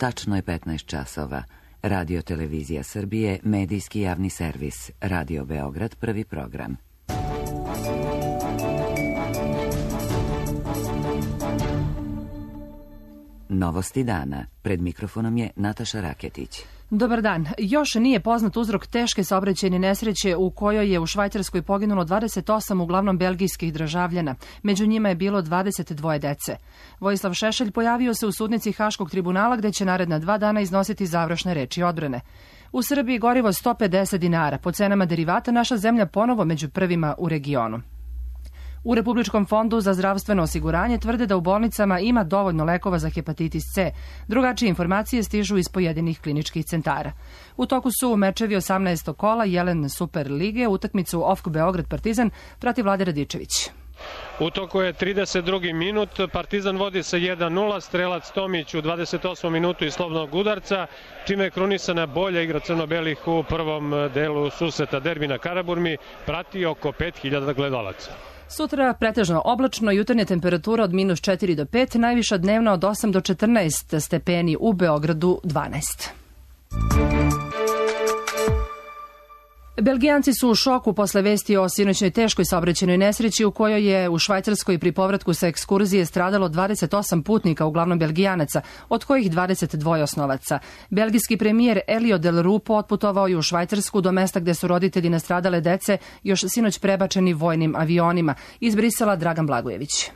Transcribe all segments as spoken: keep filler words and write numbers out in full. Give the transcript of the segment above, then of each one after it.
Tačno je petnaest časova. Radio Televizija Srbije, medijski javni servis. Radio Beograd, prvi program. Novosti dana. Pred mikrofonom je Nataša Raketić. Dobar dan. Još nije poznat uzrok teške saobraćajne nesreće u kojoj je u Švajcarskoj poginulo dvadeset osam uglavnom belgijskih državljana. Među njima je bilo dvadeset dvoje dece. Vojislav Šešelj pojavio se u sudnici Haškog tribunala gde će naredna dva dana iznositi završne reči odbrane. U Srbiji gorivo sto pedeset dinara. Po cenama derivata naša zemlja ponovo među prvima u regionu. U Republičkom fondu za zdravstveno osiguranje tvrde da u bolnicama ima dovoljno lekova za hepatitis C. Drugačije informacije stižu iz pojedinih kliničkih centara. U toku su mečevi osamnaestog kola Jelen Super lige, utakmicu O F K Beograd Partizan prati Vlade Radičević. U toku je trideset drugi minut, Partizan vodi sa jedan nula, strelac Tomić u dvadeset osmom minutu iz slobodnog udarca, čime je krunisana bolja igra crno-belih u prvom delu susreta derbi na Karaburmi, prati oko pet hiljada gledalaca. Sutra pretežno oblačno, jutarnja temperatura od minus četiri do pet, najviša dnevna od osam do četrnaest stepeni, u Beogradu dvanaest. Belgijanci su u šoku posle vesti o sinoćnoj teškoj saobraćajnoj nesreći u kojoj je u Švajcarskoj pri povratku sa ekskurzije stradalo dvadeset osam putnika, uglavnom Belgijanaca, od kojih dvadeset dva osnovaca. Belgijski premijer Elio Del Rupo otputovao je u Švajcarsku do mesta gde su roditelji nastradale dece još sinoć prebačeni vojnim avionima. Iz Brisela Dragan Blagojević.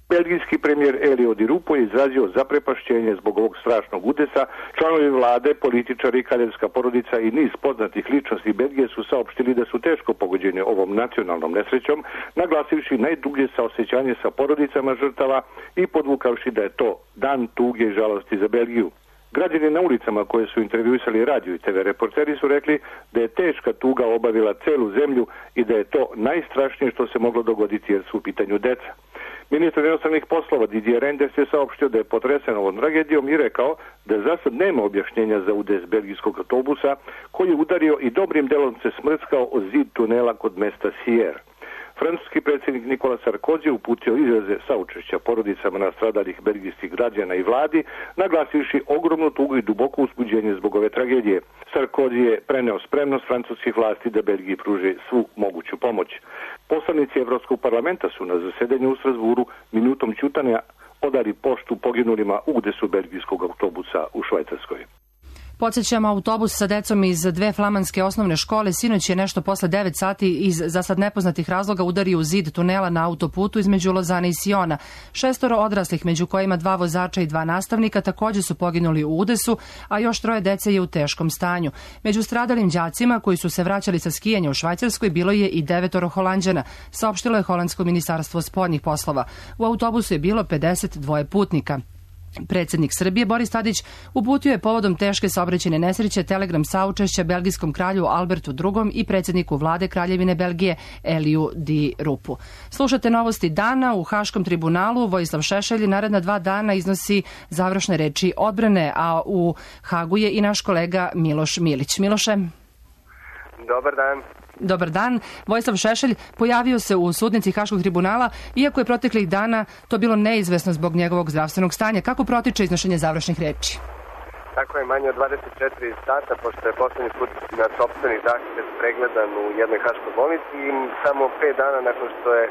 Belgijski premijer Elio Di Rupo je izrazio zaprepašćenje zbog ovog strašnog udesa. Članovi vlade, političari, kraljevska porodica i niz poznatih ličnosti Belgije su saopštili da su teško pogođeni ovom nacionalnom nesrećom, naglasivši najdublje saosećanje sa porodicama žrtava i podvukavši da je to dan tuge i žalosti za Belgiju. Građani na ulicama koje su intervjuisali radio i te ve reporteri su rekli da je teška tuga obavila celu zemlju i da je to najstrašnije što se moglo dogoditi jer su u pitanju deca. Ministar inostranih poslova Didier Reynders je saopštio da je potresen ovom tragedijom i rekao da za sad nema objašnjenja za udes belgijskog autobusa koji je udario i dobrim delom se smrskao o zid tunela kod mesta Sierre. Francuski predsjednik Nikola Sarkozy uputio izraze saučešća porodicama nastradalih belgijskih građana i vladi, naglasivši ogromnu tugu i duboko uzbuđenje zbog ove tragedije. Sarkozy je preneo spremnost francuskih vlasti da Belgiji pruže svu moguću pomoć. Poslanici Evropskog parlamenta su na zasedanju u Strasburu minutom ćutanja odali poštu poginulima u udesu belgijskog autobusa u Švajcarskoj. Podsjećamo, autobus sa decom iz dve flamanske osnovne škole sinoć je nešto posle devet sati iz za sad nepoznatih razloga udario u zid tunela na autoputu između Lozane i Siona. Šestoro odraslih, među kojima dva vozača i dva nastavnika, takođe su poginuli u udesu, a još troje dece je u teškom stanju. Među stradalim đacima koji su se vraćali sa skijanja u Švajcarskoj bilo je i devetoro Holanđana, saopštilo je holandsko ministarstvo spoljnih poslova. U autobusu je bilo pedeset dva putnika. Predsjednik Srbije Boris Tadić uputio je povodom teške saobraćajne nesreće telegram saučešća belgijskom kralju Albertu drugom i predsjedniku vlade Kraljevine Belgije Eliju Di Rupu. Slušate novosti dana. U Haškom tribunalu Vojislav Šešelj naredna dva dana iznosi završne reči odbrane, a u Hagu je i naš kolega Miloš Milić. Miloše. Dobar dan. Dobar dan. Vojislav Šešelj pojavio se u sudnici Haškog tribunala, iako je proteklih dana to bilo neizvesno zbog njegovog zdravstvenog stanja. Kako protiče iznošenje završnih reči? Tako je, manje od dvadeset četiri sata, pošto je poslednji put na sopstveni zahtev pregledan u jednoj haškoj bolnici i samo pet dana nakon što je e,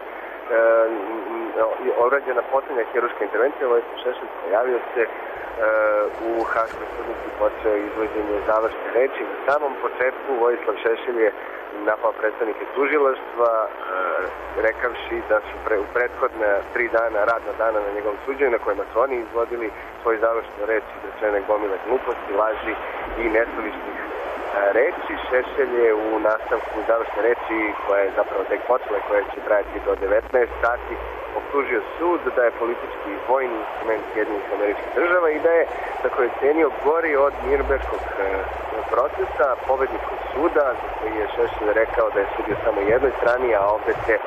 urađena poslednja hirurška intervencija, Vojislav Šešelj pojavio se e, u Haškoj sudnici, počeo izvođenje završne reči. Na samom početku Vojislav Šešelj je napao predstavnike tužilaštva, e, rekavši da su pre, u prethodne tri dana, radna dana na njegovom suđenju, na kojima su oni izvodili svoje završne reči, izrečene gomile gluposti, laži i nesuvišnih e, reči. Šešelj je u nastavku završne reči, koja je zapravo tek počela, koja će trajati do devetnaest sati, optužio sud da je politički vojni instrument Sjedinjenih Američkih Država i da je, tako je cenio, gori od Nürnberškog e, procesa, pobedničkog suda, za koji je Šešelj rekao da je sudio samo jednoj strani, a ovde se e,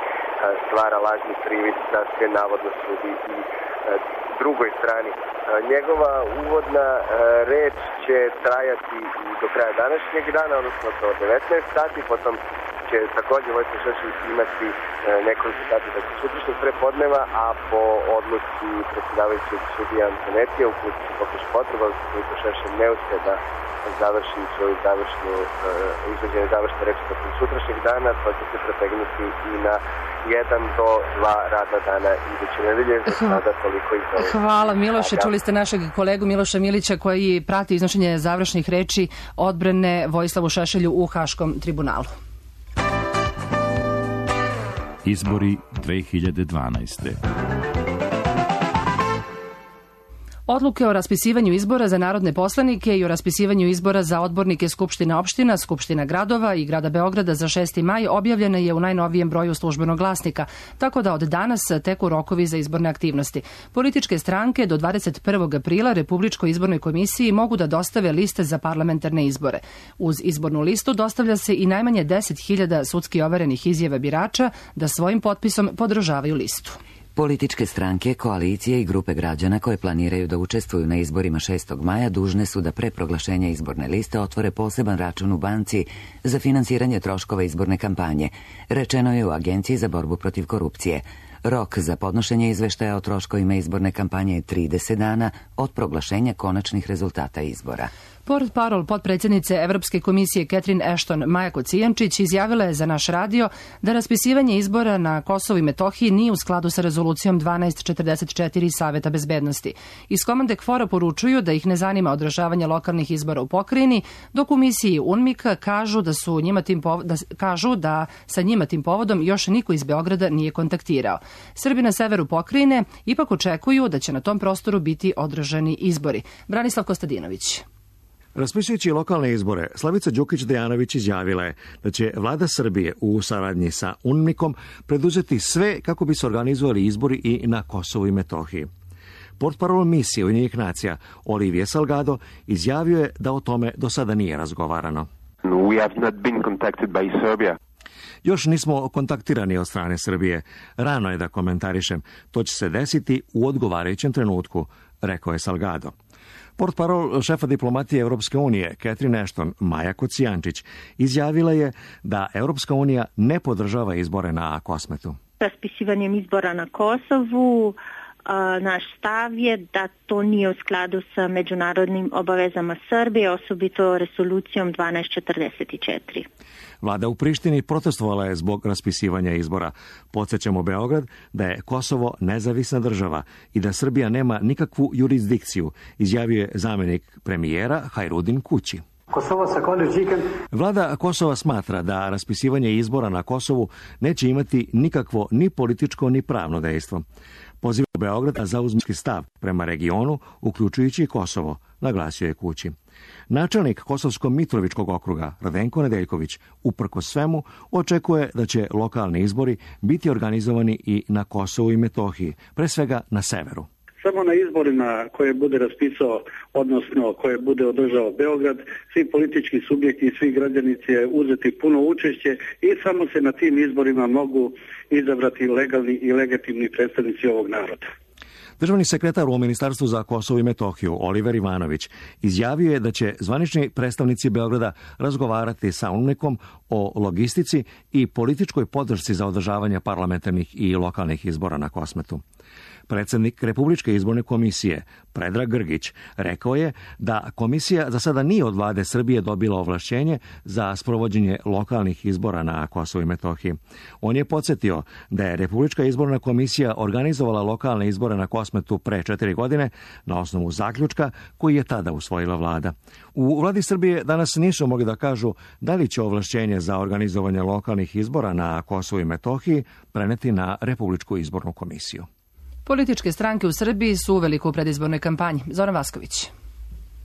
stvara lažni privid da se navodno sudi i e, drugoj strani. E, njegova uvodna e, reč će trajati i do kraja današnjeg dana, odnosno do devetnaest sati, potom će također Vojislav Šešelj imati nekoliko sati dakle, sutrašnjeg prepodneva, a po odluci predsjedavajućeg sudija Antonetija ukoliko se pokaže potreba, ukoliko Šešelj ne uspe da završi svoju završnu, uh, izvođenje završne reči tokom sutrašnjeg dana, to će se pretegnuti i na jedan do dva radna dana iduće nedelje. Za sada toliko iz ovih. Hvala Miloše, čuli ste našeg kolegu Miloša Milića koji prati iznošenje završnih reči odbrane Vojislavu Šešelju u Haškom tribunalu. Izbori dve hiljade dvanaeste. Odluke o raspisivanju izbora za narodne poslanike i o raspisivanju izbora za odbornike Skupština opština, Skupština gradova i grada Beograda za šesti maj objavljena je u najnovijem broju Službenog glasnika, tako da od danas teku rokovi za izborne aktivnosti. Političke stranke do dvadeset prvog aprila Republičkoj izbornoj komisiji mogu da dostave liste za parlamentarne izbore. Uz izbornu listu dostavlja se i najmanje deset hiljada sudski overenih izjava birača da svojim potpisom podržavaju listu. Političke stranke, koalicije i grupe građana koje planiraju da učestvuju na izborima šestog maja dužne su da pre proglašenja izborne liste otvore poseban račun u banci za finansiranje troškova izborne kampanje, rečeno je u Agenciji za borbu protiv korupcije. Rok za podnošenje izveštaja o troškovima izborne kampanje je trideset dana od proglašenja konačnih rezultata izbora. Portparol potpredsjednice Evropske komisije Catherine Ashton Maja Kocijančić izjavila je za naš radio da raspisivanje izbora na Kosovu i Metohiji nije u skladu sa rezolucijom dvanaest četrdeset četiri Saveta bezbednosti. Iz komande KFOR-a poručuju da ih ne zanima održavanje lokalnih izbora u pokrajini, dok u misiji UNMIK kažu da, su njima tim pov... da kažu da sa njima tim povodom još niko iz Beograda nije kontaktirao. Srbi na severu pokrajine ipak očekuju da će na tom prostoru biti održani izbori. Branislav Kostadinović. Raspisujući lokalne izbore, Slavica Đukić-Dejanović izjavila je da će vlada Srbije u saradnji sa UNMIK-om preduzeti sve kako bi se organizovali izbori i na Kosovu i Metohiji. Portparol misije Ujedinjenih nacija Olivier Salgado izjavio je da o tome do sada nije razgovarano. We have not been contacted by Serbia. Još nismo kontaktirani od strane Srbije. Rano je da komentarišem. To će se desiti u odgovarajućem trenutku, rekao je Salgado. Portparol šefa diplomatije Evropske unije, Catherine Ashton Maja Kocijančić, izjavila je da Evropska unija ne podržava izbore na Kosmetu. Raspisivanjem izbora na Kosovu, naš stav je da to nije u skladu sa međunarodnim obavezama Srbije, osobito rezolucijom dvanaest četrdeset četiri. Vlada u Prištini protestovala je zbog raspisivanja izbora. Podsjećamo Beograd da je Kosovo nezavisna država i da Srbija nema nikakvu jurisdikciju, izjavio je zamjenik premijera Hajrudin Kući. Vlada Kosova smatra da raspisivanje izbora na Kosovu neće imati nikakvo ni političko ni pravno dejstvo. Poziva Beograd da zauzme stav prema regionu, uključujući i Kosovo, naglasio je Kući. Načelnik Kosovsko-Mitrovičkog okruga Radenko Nedeljković uprkos svemu očekuje da će lokalni izbori biti organizovani i na Kosovu i Metohiji, pre svega na severu. Samo na izborima koje bude raspisao, odnosno koje bude održao Beograd, svi politički subjekti i svi građani će uzeti puno učešće i samo se na tim izborima mogu izabrati legalni i legitimni predstavnici ovog naroda. Državni sekretar u Ministarstvu za Kosovo i Metohiju, Oliver Ivanović, izjavio je da će zvanični predstavnici Beograda razgovarati sa UNMIK-om o logistici i političkoj podršci za održavanje parlamentarnih i lokalnih izbora na Kosmetu. Predsjednik Republičke izborne komisije, Predrag Grgić, rekao je da komisija za sada nije od vlade Srbije dobila ovlašćenje za sprovođenje lokalnih izbora na Kosovu i Metohiji. On je podsjetio da je Republička izborna komisija organizovala lokalne izbore na Kosmetu pre četiri godine na osnovu zaključka koji je tada usvojila vlada. U vladi Srbije danas nisu mogli da kažu da li će ovlašćenje za organizovanje lokalnih izbora na Kosovu i Metohiji preneti na Republičku izbornu komisiju. Političke stranke u Srbiji su uveliko u predizbornoj kampanji. Zoran Vasković.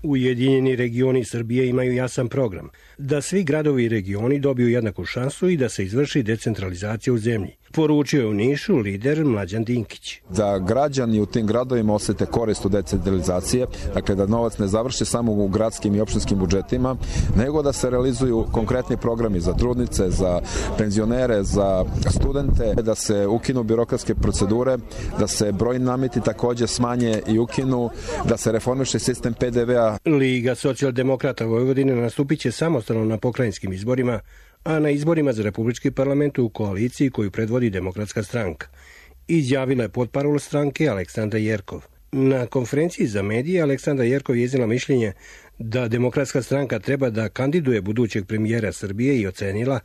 Ujedinjeni regioni Srbije imaju jasan program da svi gradovi i regioni dobiju jednaku šansu i da se izvrši decentralizacija u zemlji. Poručio je u Nišu lider Mlađan Dinkić. Da građani u tim gradovima osete korist od decentralizacije, dakle da novac ne završi samo u gradskim i opštinskim budžetima, nego da se realizuju konkretni programi za trudnice, za penzionere, za studente, da se ukinu birokratske procedure, da se brojni nameti takođe smanje i ukinu, da se reformiše sistem pe de ve a. Liga socijaldemokrata Vojvodine nastupit će samostalno na pokrajinskim izborima, a na izborima za Republički parlament u koaliciji koju predvodi Demokratska stranka. Izjavila je potparol stranke Aleksandra Jerkov. Na konferenciji za medije Aleksandra Jerkov je iznijela mišljenje da Demokratska stranka treba da kandiduje budućeg premijera Srbije i ocenila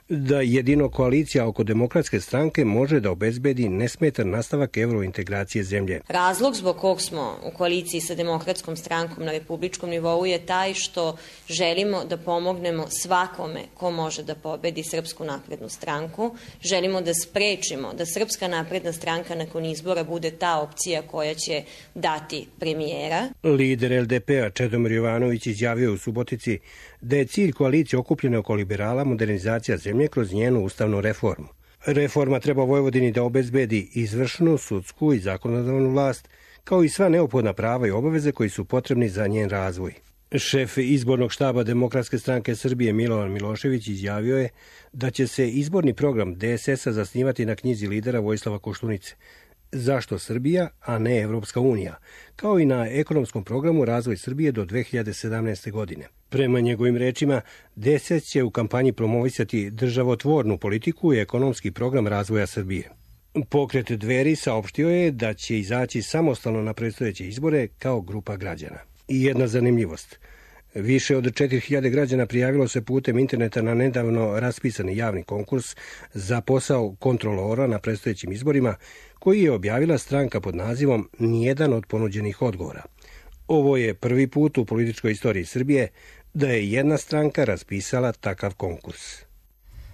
da jedino koalicija oko Demokratske stranke može da obezbedi nesmetan nastavak evrointegracije zemlje. Razlog zbog kog smo u koaliciji sa Demokratskom strankom na republičkom nivou je taj što želimo da pomognemo svakome ko može da pobedi Srpsku naprednu stranku. Želimo da sprečimo da Srpska napredna stranka nakon izbora bude ta opcija koja će dati premijera. Lider el de pe a Čedomir Jovanović izjavio u Subotici da je cilj koalicije okupljene oko liberala modernizacija zemlje kroz njenu ustavnu reformu. Reforma treba Vojvodini da obezbedi izvršnu, sudsku i zakonodavnu vlast, kao i sva neophodna prava i obaveze koji su potrebni za njen razvoj. Šef izbornog štaba Demokratske stranke Srbije Milovan Milošević izjavio je da će se izborni program de es es a zasnivati na knjizi lidera Vojislava Koštunice. Zašto Srbija, a ne Evropska unija, kao i na ekonomskom programu Razvoj Srbije do dve hiljade sedamnaeste. godine. Prema njegovim rečima, de es es će u kampanji promovisati državotvornu politiku i ekonomski program razvoja Srbije. Pokret Dveri saopštio je da će izaći samostalno na predstojeće izbore kao grupa građana. I jedna zanimljivost. Više od četiri hiljade građana prijavilo se putem interneta na nedavno raspisani javni konkurs za posao kontrolora na predstojećim izborima, koji je objavila stranka pod nazivom Nijedan od ponuđenih odgovora. Ovo je prvi put u političkoj istoriji Srbije da je jedna stranka raspisala takav konkurs.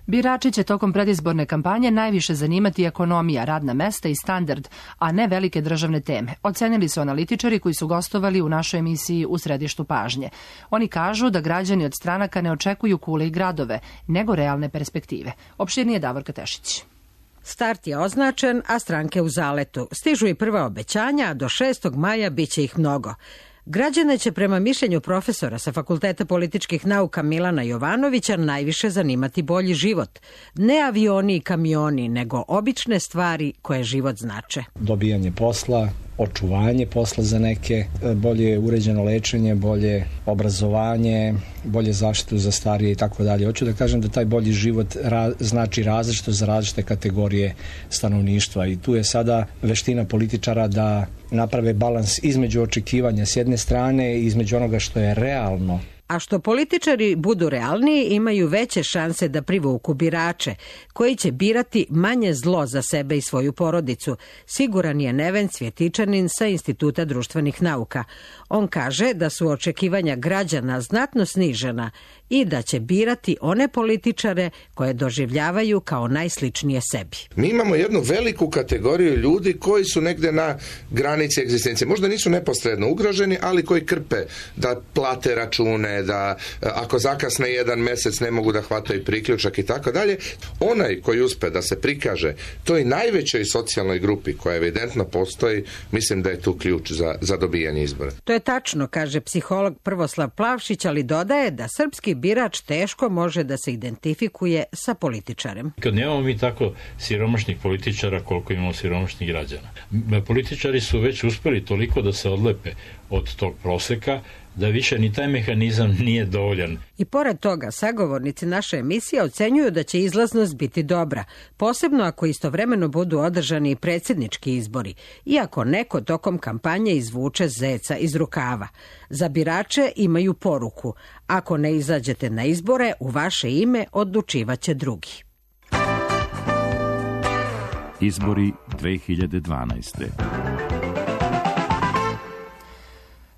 Birači će tokom predizborne kampanje najviše zanimati ekonomija, radna mesta i standard, a ne velike državne teme. Ocenili su analitičari koji su gostovali u našoj emisiji U središtu pažnje. Oni kažu da građani od stranaka ne očekuju kule i gradove, nego realne perspektive. Opširnije Davorka Tešić. Start je označen, a stranke u zaletu. Stižu i prva obećanja, a do šestog maja biće ih mnogo. Građane će prema mišljenju profesora sa Fakulteta političkih nauka Milana Jovanovića najviše zanimati bolji život. Ne avioni i kamioni, nego obične stvari koje život znače. Dobijanje posla, očuvanje posla za neke, bolje uređeno lečenje, bolje obrazovanje, bolje zaštitu za starije i tako dalje. Hoću da kažem da taj bolji život ra- znači različito za različite kategorije stanovništva i tu je sada veština političara da naprave balans između očekivanja s jedne strane i između onoga što je realno. A što političari budu realniji, imaju veće šanse da privuku birače, koji će birati manje zlo za sebe i svoju porodicu, siguran je Neven Cvjetičanin sa Instituta društvenih nauka. On kaže da su očekivanja građana znatno snižena i da će birati one političare koje doživljavaju kao najsličnije sebi. Mi imamo jednu veliku kategoriju ljudi koji su negde na granici egzistencije. Možda nisu neposredno ugroženi, ali koji krpe da plate račune, da ako zakasne jedan mesec ne mogu da hvataju priključak i tako dalje. Onaj koji uspe da se prikaže toj najvećoj socijalnoj grupi koja evidentno postoji, mislim da je tu ključ za, za dobijanje izbora. To je tačno, kaže psiholog Prvoslav Plavšić, ali dodaje da srpski birač teško može da se identifikuje sa političarem. Kad nemamo mi tako siromašnih političara koliko imamo siromašnih građana. Političari su već uspeli toliko da se odlepe od tog proseka da više ni taj mehanizam nije dovoljan. I pored toga, sagovornici naše emisije ocenjuju da će izlaznost biti dobra, posebno ako istovremeno budu održani i predsjednički izbori, iako neko tokom kampanje izvuče zeca iz rukava. Za birače imaju poruku: ako ne izađete na izbore, u vaše ime odlučivaće drugi. Izbori dve hiljade dvanaeste.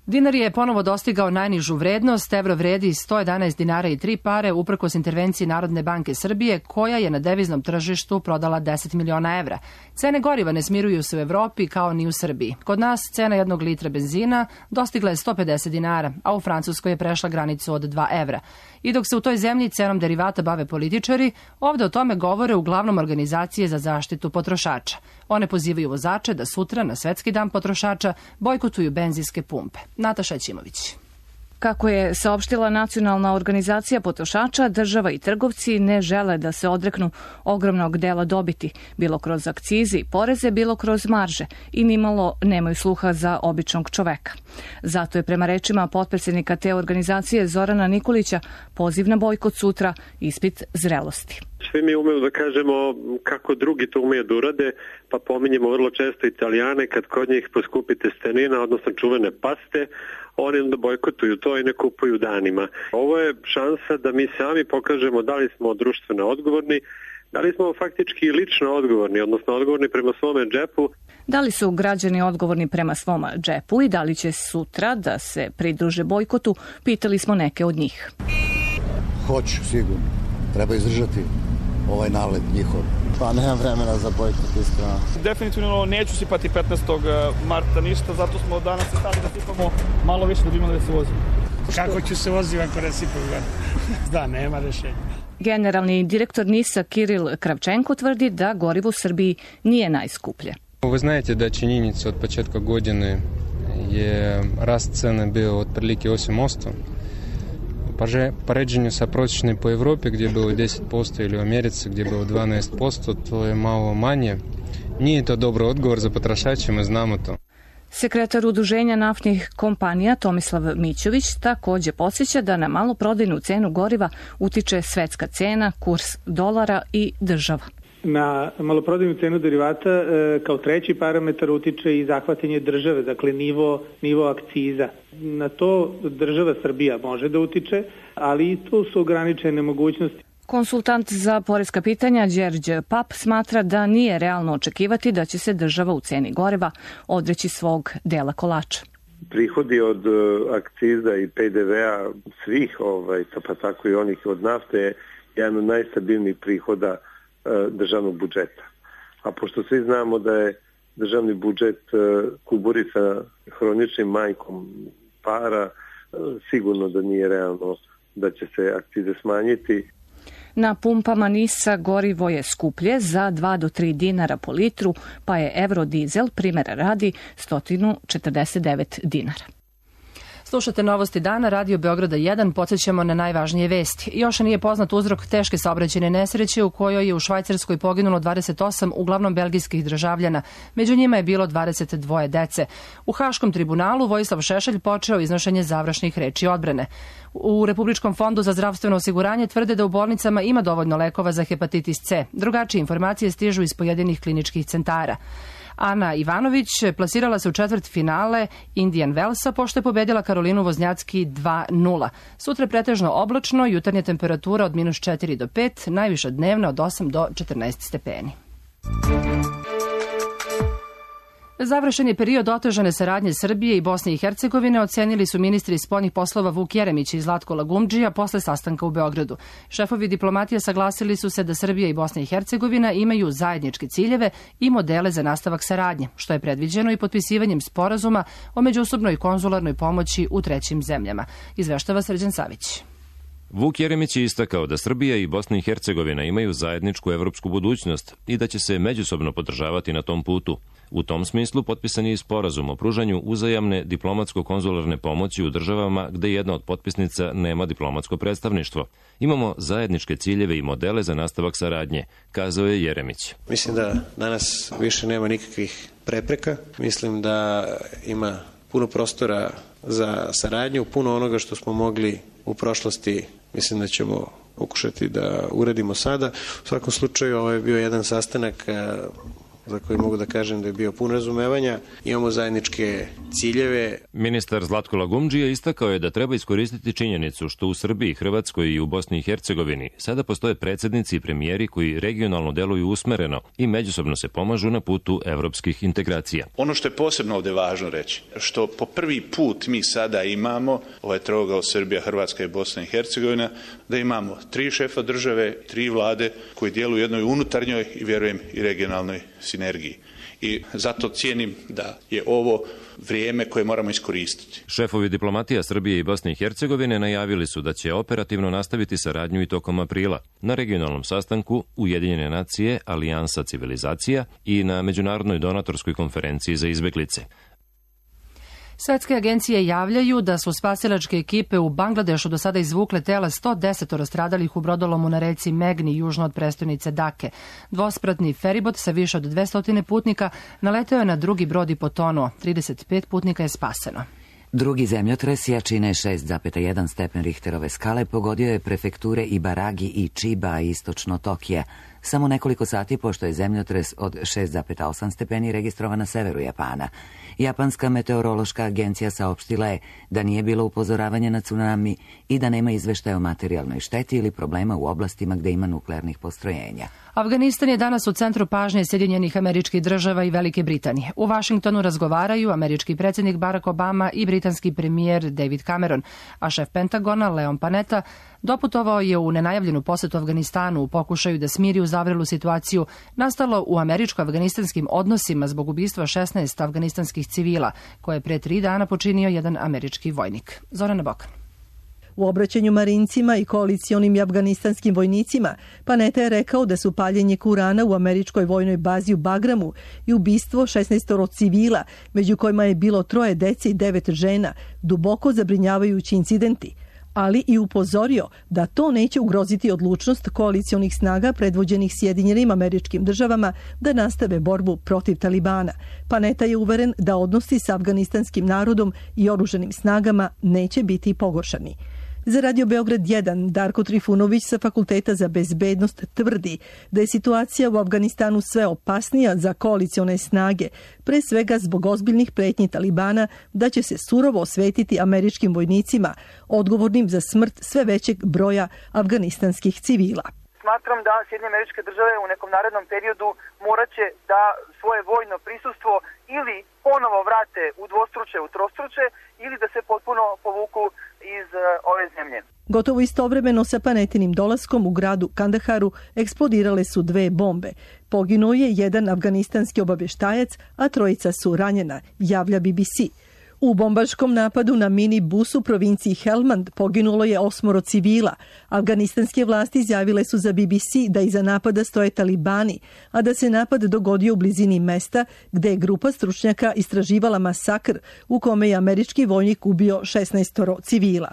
Dinar je ponovo dostigao najnižu vrednost, evro vredi sto jedanaest dinara i tri pare uprkos intervenciji Narodne banke Srbije, koja je na deviznom tržištu prodala deset miliona evra. Cene goriva ne smiruju se u Evropi kao ni u Srbiji. Kod nas cena jednog litra benzina dostigla je sto pedeset dinara, a u Francuskoj je prešla granicu od dva evra. I dok se u toj zemlji cenom derivata bave političari, ovde o tome govore uglavnom organizacije za zaštitu potrošača. One pozivaju vozače da sutra, na Svetski dan potrošača, bojkotuju benzinske pumpe. Nataša Ćimović. Kako je saopštila Nacionalna organizacija potrošača, država i trgovci ne žele da se odreknu ogromnog dela dobiti, bilo kroz akcize i poreze, bilo kroz marže, i nimalo nemaju sluha za običnog čoveka. Zato je prema rečima potpredsjednika te organizacije Zorana Nikolića poziv na bojkot sutra ispit zrelosti. Svi mi umemo da kažemo kako drugi to umeju da urade, pa pominjemo vrlo često Italijane kad kod njih poskupi testenina, odnosno čuvene paste, oni onda bojkotuju to i ne kupuju danima. Ovo je šansa da mi sami pokažemo da li smo društveno odgovorni, da li smo faktički lično odgovorni, odnosno odgovorni prema svome džepu. Da li su građani odgovorni prema svom džepu i da li će sutra da se pridruže bojkotu, pitali smo neke od njih. Hoću, sigurno. Treba izdržati ovaj nalet njihov. Pa nemam vremena za bojkot, iskreno. Definitivno neću sipati petnaestog marta ništa, zato smo danas se stali da sipamo malo više da bi imali da se vozimo. Kako ću se voziti ako ne sipam? Da, nema rešenja. Generalni direktor NIS-a Kiril Kravčenko tvrdi da gorivo u Srbiji nije najskuplje. Вы знаете, да, činjenica od početka godine je rast cene bio otprilike osam posto. Po ređenju sa prosječnim po Evropi gdje je bilo deset posto ili u Americi gdje je bilo dvanaest posto, to je malo manje. Nije to dobro odgovor za potrošače, mi znamo to. Sekretar Udruženja naftnih kompanija Tomislav Mićović također podsjeća da na maloprodajnu cenu goriva utiče svetska cena, kurs dolara i država. Na maloprodajnu cenu derivata e, kao treći parametar utiče i zahvatanje države, dakle nivo, nivo akciza. Na to država Srbija može da utiče, ali i tu su ograničene mogućnosti. Konsultant za poreska pitanja Đerđe Pap smatra da nije realno očekivati da će se država u ceni goriva odreći svog dela kolača. Prihodi od akciza i P D V-a svih, ovaj, pa tako i onih od nafte, je jedan od najstabilnijih prihoda državnog budžeta. A pošto svi znamo da je državni budžet kuburica hroničnim manjkom para, sigurno da nije realno da će se akcize smanjiti. Na pumpama NIS-a gorivo je skuplje za dva do tri dinara po litru, pa je Eurodizel, primjera radi, sto četrdeset devet dinara. Slušate Novosti dana, Radio Beograda jedan, podsjećamo na najvažnije vesti. Još nije poznat uzrok teške saobraćajne nesreće u kojoj je u Švajcarskoj poginulo dvadeset osam, uglavnom belgijskih državljana. Među njima je bilo dvadeset dva dece. U Haškom tribunalu Vojislav Šešelj počeo iznošenje završnih reči odbrane. U Republičkom fondu za zdravstveno osiguranje tvrde da u bolnicama ima dovoljno lekova za hepatitis C. Drugačije informacije stižu iz pojedinih kliničkih centara. Ana Ivanović plasirala se u četvrt finale Indian Wellsa pošto je pobedila Karolinu Voznjacki dva nula. Sutra pretežno oblačno, jutarnja temperatura od minus četiri do pet, najviša dnevna od osam do četrnaest stepeni. Završen je period otežane saradnje Srbije i Bosne i Hercegovine, ocenili su ministri spoljnih poslova Vuk Jeremić i Zlatko Lagumdžija posle sastanka u Beogradu. Šefovi diplomatije saglasili su se da Srbija i Bosna i Hercegovina imaju zajedničke ciljeve i modele za nastavak saradnje, što je predviđeno i potpisivanjem sporazuma o međusobnoj konzularnoj pomoći u trećim zemljama. Izveštava Srđan Savić. Vuk Jeremić je istakao da Srbija i Bosna i Hercegovina imaju zajedničku evropsku budućnost i da će se međusobno podržavati na tom putu. U tom smislu potpisan je i sporazum o pružanju uzajamne diplomatsko-konzularne pomoći u državama gde jedna od potpisnica nema diplomatsko predstavništvo. Imamo zajedničke ciljeve i modele za nastavak saradnje, kazao je Jeremić. Mislim da danas više nema nikakvih prepreka. Mislim da ima puno prostora za saradnju, puno onoga što smo mogli u prošlosti, mislim da ćemo pokušati da uradimo sada. U svakom slučaju ovo je bio jedan sastanak za koji mogu da kažem da je bio pun razumevanja. Imamo zajedničke ciljeve. Ministar Zlatko Lagumdžija istakao je da treba iskoristiti činjenicu što u Srbiji, Hrvatskoj i u Bosni i Hercegovini sada postoje predsjednici i premijeri koji regionalno deluju usmereno i međusobno se pomažu na putu evropskih integracija. Ono što je posebno ovdje važno reći, što po prvi put mi sada imamo ovaj trougao Srbija, Hrvatska i Bosna i Hercegovina, da imamo tri šefa države, tri vlade koji djeluju u jednoj unutarnjoj i vjerujem i regionalnoj sinergiji. I zato cijenim da je ovo vrijeme koje moramo iskoristiti. Šefovi diplomatija Srbije i Bosne i Hercegovine najavili su da će operativno nastaviti saradnju i tokom aprila na regionalnom sastanku Ujedinjene nacije, Alijansa civilizacija i na Međunarodnoj donatorskoj konferenciji za izbeglice. Svetske agencije javljaju da su spasilačke ekipe u Bangladešu do sada izvukle tela sto deset stradalih u brodolomu na reci Megni južno od prestonice Dake. Dvospratni feribot sa više od dvesta putnika naleteo je na drugi brod i potonuo. trideset pet putnika je spaseno. Drugi zemljotres jačine šest zarez jedan stepen Richterove skale pogodio je prefekture Ibaragi i Chiba istočno Tokija. Samo nekoliko sati pošto je zemljotres od šest zarez osam stepeni registrovan na severu Japana. Japanska meteorološka agencija saopštila je da nije bilo upozoravanja na tsunami i da nema izveštaja o materijalnoj šteti ili problema u oblastima gde ima nuklearnih postrojenja. Afganistan je danas u centru pažnje Sjedinjenih Američkih Država i Velike Britanije. U Vašingtonu razgovaraju američki predsjednik Barack Obama i britanski premijer David Cameron, a šef Pentagona Leon Panetta doputovao je u nenajavljenu posetu Afganistanu u pokušaju da smiri uzavrelu situaciju nastalo u američko-afganistanskim odnosima zbog ubistva šesnaest afganistanskih civila, koje je pre tri dana počinio jedan američki vojnik. Zorana Bokan. U obraćanju marincima i koalicionim i afganistanskim vojnicima, Panetta je rekao da su paljenje Kurana u američkoj vojnoj bazi u Bagramu i ubistvo šesnaest civila, među kojima je bilo troje dece i devet žena, duboko zabrinjavajući incidenti, ali i upozorio da to neće ugroziti odlučnost koalicionih snaga predvođenih Sjedinjenim Američkim Državama da nastave borbu protiv Talibana. Panetta je uveren da odnosi sa afganistanskim narodom i oruženim snagama neće biti pogoršani. Za Radio Beograd jedan, Darko Trifunović sa Fakulteta za bezbednost tvrdi da je situacija u Afganistanu sve opasnija za koalicione snage, pre svega zbog ozbiljnih pretnji Talibana da će se surovo osvetiti američkim vojnicima, odgovornim za smrt sve većeg broja afganistanskih civila. Smatram da Sjedinjene Američke Države u nekom narednom periodu morat će da svoje vojno prisustvo ili ponovo vrate u dvostruče, u trostruče, ili da se potpuno povuku iz ove zemlje. Gotovo istovremeno sa Panettinim dolaskom u gradu Kandaharu eksplodirale su dve bombe. Poginuo je jedan afganistanski obavještajac, a trojica su ranjena, javlja B B C. U bombaškom napadu na mini bus u provinciji Helmand poginulo je osmoro civila. Afganistanske vlasti izjavile su za B B C da iza napada stoje Talibani, a da se napad dogodio u blizini mesta gde je grupa stručnjaka istraživala masakr u kome je američki vojnik ubio šesnaest civila.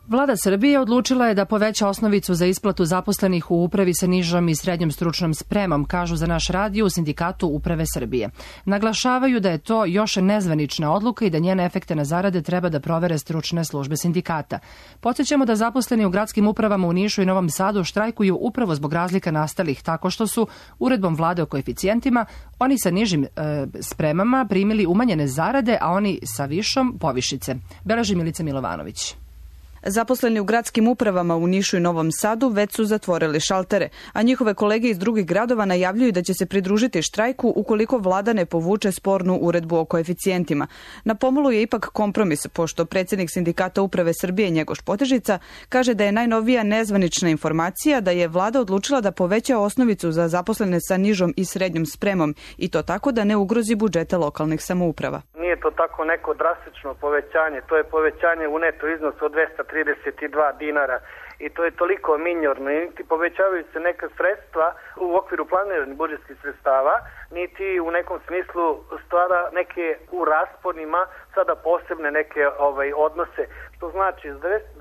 Vlada Srbije odlučila je da poveća osnovicu za isplatu zaposlenih u upravi sa nižom i srednjom stručnom spremom, kažu za naš radio u Sindikatu Uprave Srbije. Naglašavaju da je to još nezvanična odluka i da njene efekte na zarade treba da provere stručne službe sindikata. Podsjećamo da zaposleni u gradskim upravama u Nišu i Novom Sadu štrajkuju upravo zbog razlika nastalih tako što su uredbom vlade o koeficijentima oni sa nižim e, spremama primili umanjene zarade, a oni sa višom povišice. Beleži Milica Milovanović. Zaposleni u gradskim upravama u Nišu i Novom Sadu već su zatvorili šaltere, a njihove kolege iz drugih gradova najavljuju da će se pridružiti štrajku ukoliko vlada ne povuče spornu uredbu o koeficijentima. Na pomolu je ipak kompromis, pošto predsjednik Sindikata Uprave Srbije Njegoš Potežica kaže da je najnovija nezvanična informacija da je vlada odlučila da poveća osnovicu za zaposlene sa nižom i srednjom spremom i to tako da ne ugrozi budžete lokalnih samouprava. Nije to tako neko drastično povećanje, to je povećanje u neto iznosu od dvesta trideset dva dinara i to je toliko minorno, niti povećavaju se neka sredstva u okviru planiranih budžetskih sredstava, niti u nekom smislu stvara neke u rasponima sada posebne neke ovaj odnose, što znači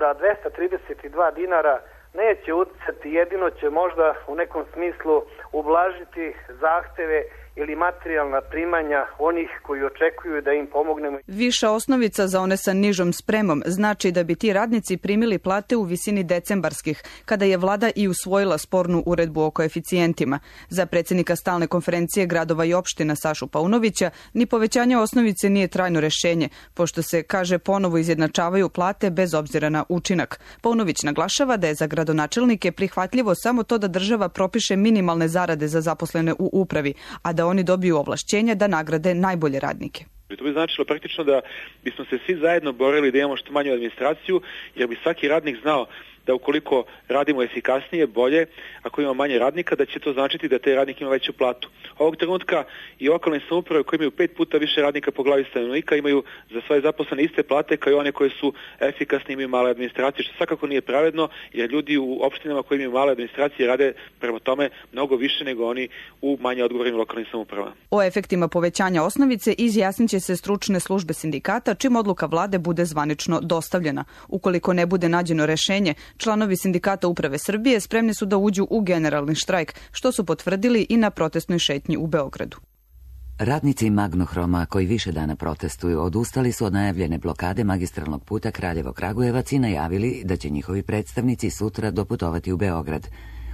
da dvesta trideset dva dinara neće uticati, jedino će možda u nekom smislu ublažiti zahteve ili materijalna primanja onih koji očekuju da im pomognemo. Viša osnovica za one sa nižom spremom znači da bi ti radnici primili plate u visini decembarskih, kada je vlada i usvojila spornu uredbu o koeficijentima. Za predsjednika stalne konferencije gradova i opština Sašu Paunovića ni povećanje osnovice nije trajno rešenje, pošto se, kaže, ponovo izjednačavaju plate bez obzira na učinak. Paunović naglašava da je za gradonačelnike prihvatljivo samo to da država propiše minimalne zarade za zaposlene u upravi, a da oni dobiju ovlašćenja da nagrade najbolje radnike. To bi značilo praktično da bismo se svi zajedno borili da imamo što manju administraciju, jer bi svaki radnik znao da ukoliko radimo efikasnije, bolje, ako imamo manje radnika, da će to značiti da taj radnik ima veću platu. Ovog trenutka i lokalne samouprave koje imaju pet puta više radnika po glavi stanovnika imaju za svoje zaposlene iste plate kao i one koje su efikasne, imaju male administracije, što svakako nije pravedno, jer ljudi u opštinama koji imaju male administracije rade prema tome mnogo više nego oni u manje odgovornim lokalnim samoupravama. O efektima povećanja osnovice izjasnit će se stručne službe sindikata čim odluka vlade bude zvanično dostavljena. Ukoliko ne bude nađeno rešenje, članovi sindikata Uprave Srbije spremni su da uđu u generalni štrajk, što su potvrdili i na protestnoj šetnji u Beogradu. Radnici Magnohroma koji više dana protestuju odustali su od najavljene blokade magistralnog puta Kraljevo-Kragujevac i najavili da će njihovi predstavnici sutra doputovati u Beograd.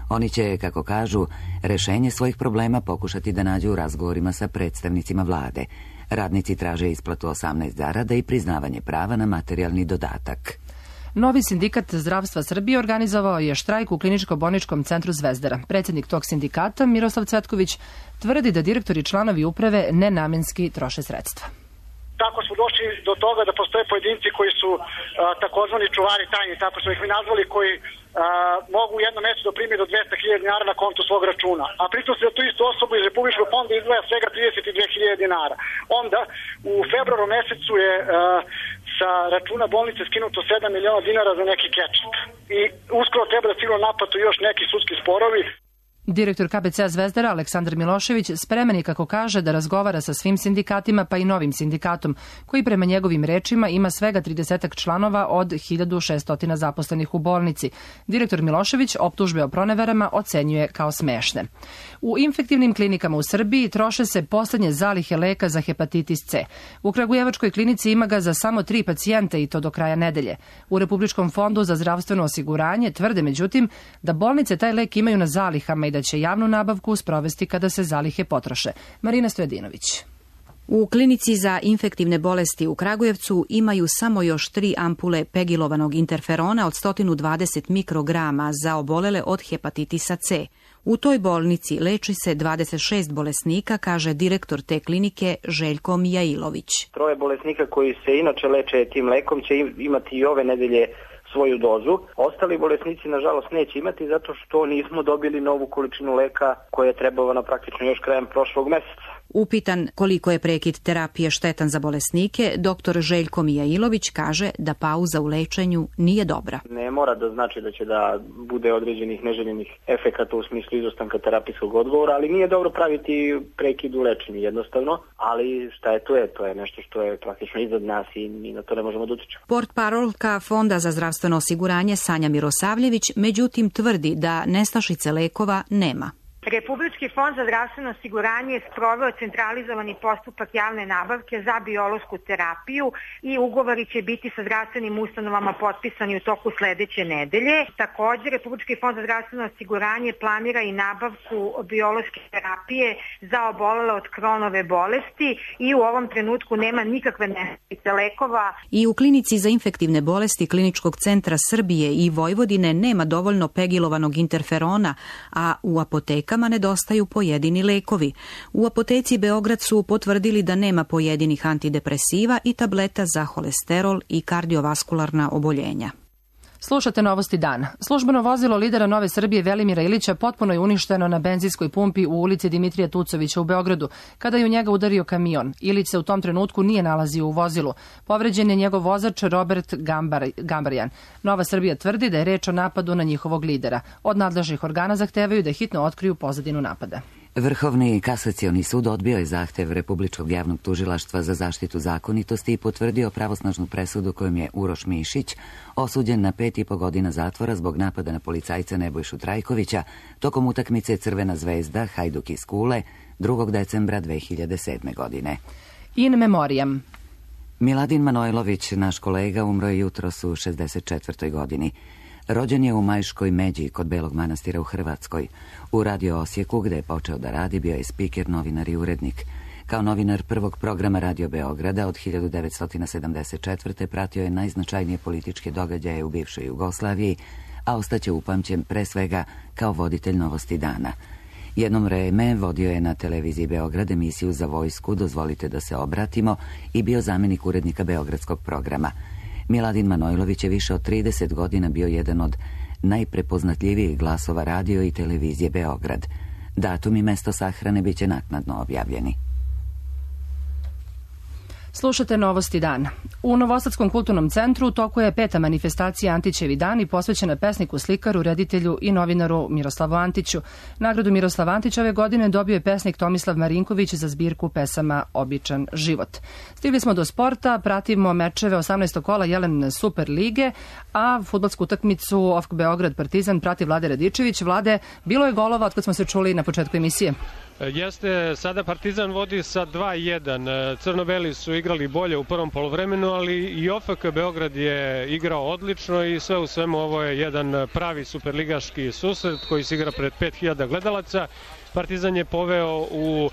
Oni će, kako kažu, rešenje svojih problema pokušati da nađu u razgovorima sa predstavnicima vlade. Radnici traže isplatu osamnaest zarada i priznavanje prava na materijalni dodatak. Novi sindikat zdravstva Srbije organizovao je štrajk u kliničko-bolničkom centru Zvezdara. Predsjednik tog sindikata, Miroslav Cvetković, tvrdi da direktori i članovi uprave nenamenski troše sredstva. Tako smo došli do toga da postoje pojedinci koji su a, takozvani čuvari tajni, tako smo ih mi nazvali, koji a, mogu u jednom mjesecu da primi do dvesta hiljada dinara na kontu svog računa. A pritom se za tu istu osobu iz Republičkog fonda izdvaja svega trideset dve hiljade dinara. Onda u februaru mesecu je a, sa računa bolnice skinuto sedam miliona dinara za neki kečap. I uskoro treba da stignu naplatu još neki sudski sporovi. Direktor K B C-a Zvezdara Aleksandar Milošević spreman je, kako kaže, da razgovara sa svim sindikatima pa i novim sindikatom, koji prema njegovim rečima ima svega trideset članova od hiljadu šesto zaposlenih u bolnici. Direktor Milošević optužbe o proneverama ocenjuje kao smešne. U infektivnim klinikama u Srbiji troše se poslednje zalihe leka za hepatitis C. U Kragujevačkoj klinici ima ga za samo tri pacijenta i to do kraja nedelje. U Republičkom fondu za zdravstveno osiguranje tvrde međutim da bolnice taj lek imaju na zalihama i da će javnu nabavku sprovesti kada se zalihe potroše. Marina Stojadinović. U klinici za infektivne bolesti u Kragujevcu imaju samo još tri ampule pegilovanog interferona od sto dvadeset mikrograma za obolele od hepatitisa C. U toj bolnici leči se dvadeset šest bolesnika, kaže direktor te klinike Željko Mijailović. Troje bolesnika koji se inače leče tim lekom će imati i ove nedelje svoju dozu. Ostali bolesnici, nažalost, neće imati zato što nismo dobili novu količinu leka koja je trebala praktično još krajem prošlog meseca. Upitan koliko je prekid terapije štetan za bolesnike, doktor Željko Mijailović kaže da pauza u lečenju nije dobra. Ne mora da znači da će da bude određenih neželjenih efekata u smislu izostanka terapijskog odgovora, ali nije dobro praviti prekid u lečenju jednostavno, ali šta je to je, to je nešto što je praktično iznad nas i mi na to ne možemo da utičemo. Portparolka Fonda za zdravstveno osiguranje Sanja Mirosavljević međutim tvrdi da nestašice lekova nema. Republički fond za zdravstveno osiguranje je sproveo centralizovani postupak javne nabavke za biološku terapiju i ugovori će biti sa zdravstvenim ustanovama potpisani u toku sledeće nedelje. Također, Republički fond za zdravstveno osiguranje planira i nabavku biološke terapije za obolele od Kronove bolesti i u ovom trenutku nema nikakve nestašice lekova. I u klinici za infektivne bolesti Kliničkog centra Srbije i Vojvodine nema dovoljno pegilovanog interferona, a u apotekama nedostaju pojedini lekovi. U apoteci Beograd su potvrdili da nema pojedinih antidepresiva i tableta za holesterol i kardiovaskularna oboljenja. Slušate Novosti dana. Službeno vozilo lidera Nove Srbije Velimira Ilića potpuno je uništeno na benzinskoj pumpi u ulici Dimitrija Tucovića u Beogradu, kada je u njega udario kamion. Ilić se u tom trenutku nije nalazio u vozilu. Povređen je njegov vozač Robert Gambar, Gambarjan. Nova Srbija tvrdi da je reč o napadu na njihovog lidera. Od nadležnih organa zahtevaju da hitno otkriju pozadinu napada. Vrhovni kasacioni sud odbio je zahtev Republičkog javnog tužilaštva za zaštitu zakonitosti i potvrdio pravosnažnu presudu kojom je Uroš Mišić osuđen na pet i po godina zatvora zbog napada na policajca Nebojšu Trajkovića tokom utakmice Crvena zvezda Hajduk iz Kule drugog decembra dve hiljade sedme. godine. In memoriam. Miladin Manojlović, naš kolega, umro je jutros u šezdeset četvrtoj. godini. Rođen je u Majškoj Međi kod Belog Manastira u Hrvatskoj. U Radio Osijeku, gde je počeo da radi, bio je spiker, novinar i urednik. Kao novinar prvog programa Radio Beograda od hiljadu devetsto sedamdeset četvrte. pratio je najznačajnije političke događaje u bivšoj Jugoslaviji, a ostaće upamćen pre svega kao voditelj Novosti dana. Jednom vreme vodio je na televiziji Beograd emisiju za vojsku Dozvolite da se obratimo i bio zamenik urednika beogradskog programa. Miladin Manojlović je više od trideset godina bio jedan od najprepoznatljivijih glasova radio i televizije Beograd. Datum i mesto sahrane biće naknadno objavljeni. Slušate Novosti dana. U Novosadskom kulturnom centru u toku je peta manifestacija Antićevi dani posvećena pesniku, slikaru, reditelju i novinaru Miroslavu Antiću. Nagradu Miroslav Antić ove godine dobio je pesnik Tomislav Marinković za zbirku pesama Običan život. Stigli smo do sporta, pratimo mečeve osamnaestog kola Jelen Super lige, a fudbalsku utakmicu O F K Beograd Partizan prati Vlade Radičević. Vlade, bilo je golova od kad smo se čuli na početku emisije. Jeste, sada Partizan vodi sa dva jedan. Crno-beli su igrali bolje u prvom poluvremenu, ali i O F K Beograd je igrao odlično i sve u svemu ovo je jedan pravi superligaški susret koji se igra pred pet hiljada gledalaca. Partizan je poveo u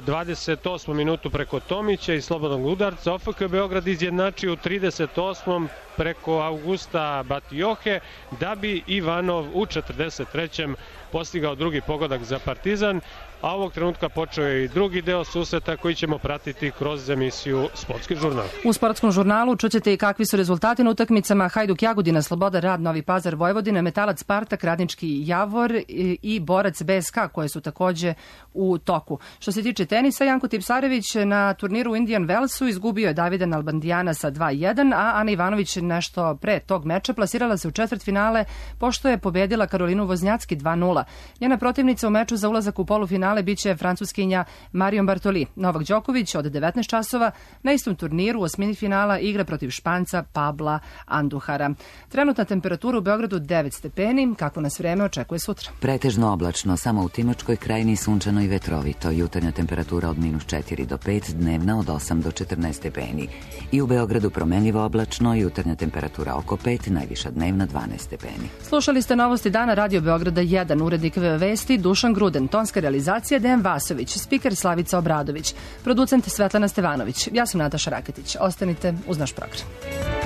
dvadeset osmom minutu preko Tomića i slobodnog udarca. O F K Beograd izjednačio u trideset osmom preko Augusta Batiohe, da bi Ivanov u četrdeset trećem postigao drugi pogodak za Partizan, a ovog trenutka počeo je i drugi deo susreta koji ćemo pratiti kroz emisiju Sportski žurnal. U Sportskom žurnalu čućete i kakvi su rezultati na utakmicama Hajduk Jagodina, Sloboda Rad, Novi Pazar, Vojvodina, Metalac Spartak, Radnički Javor i Borac B S K koje su takođe u toku. Što se tiče tenisa, Janko Tipsarević na turniru u Indian Wellsu izgubio je Davida Nalbandijana sa dva jedan, a Ana Ivanović nešto pre tog meča plasirala se u četvrtfinale pošto je pobedila Karolinu Voznjacki dva nula. Njena protivnica u meču za ulazak u polufinale biće francuskinja Marion Bartoli. Novak Đoković od devetnaest časova na istom turniru u osmini finala igra protiv Španca Pabla Anduhara. Trenutna temperatura u Beogradu devet stepeni, kako nas vreme očekuje sutra. Pretežno oblačno, samo u Timočkoj krajini sunčano i vetrovito. Jutarnja temperatura od minus četiri do pet, dnevna od osam do četrnaest stepeni. I u Beogradu promenljivo oblačno, jutarnja temperatura oko pet, najviša dnevna dvanaest stepeni. Slušali ste Novosti dana Radio Beograda jedan, urednik vesti Dušan Gruden, tonska realizacija Dejan Vasović, spiker Slavica Obradović, producent Svetlana Stevanović. Ja sam Nataša Raketić. Ostanite uz naš program.